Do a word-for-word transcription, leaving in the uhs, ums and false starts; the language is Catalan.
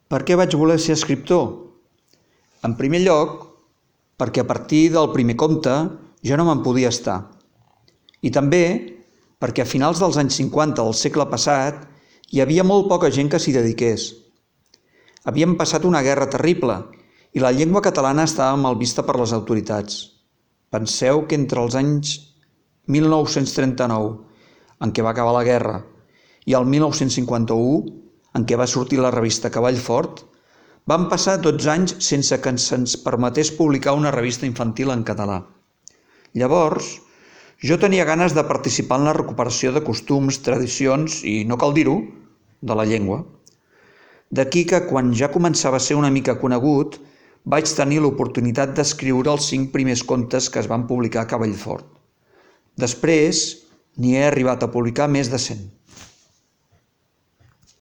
Per què vaig voler ser escriptor? En primer lloc, perquè a partir del primer conte ja no me'n podia estar. I també perquè a finals dels anys cinquanta del segle passat hi havia molt poca gent que s'hi dediqués. Havíem passat una guerra terrible i la llengua catalana estava mal vista per les autoritats. Penseu que entre els anys mil nou-cents trenta-nou, en què va acabar la guerra, i el mil nou-cents cinquanta-u, en què va sortir la revista Cavall Fort, van passar dotze anys sense que se'ns permetés publicar una revista infantil en català. Llavors, jo tenia ganes de participar en la recuperació de costums, tradicions i, no cal dir-ho, de la llengua. D'aquí que, quan ja començava a ser una mica conegut, vaig tenir l'oportunitat d'escriure els cinc primers contes que es van publicar a Cavall Fort. Després, n'hi he arribat a publicar més de cent.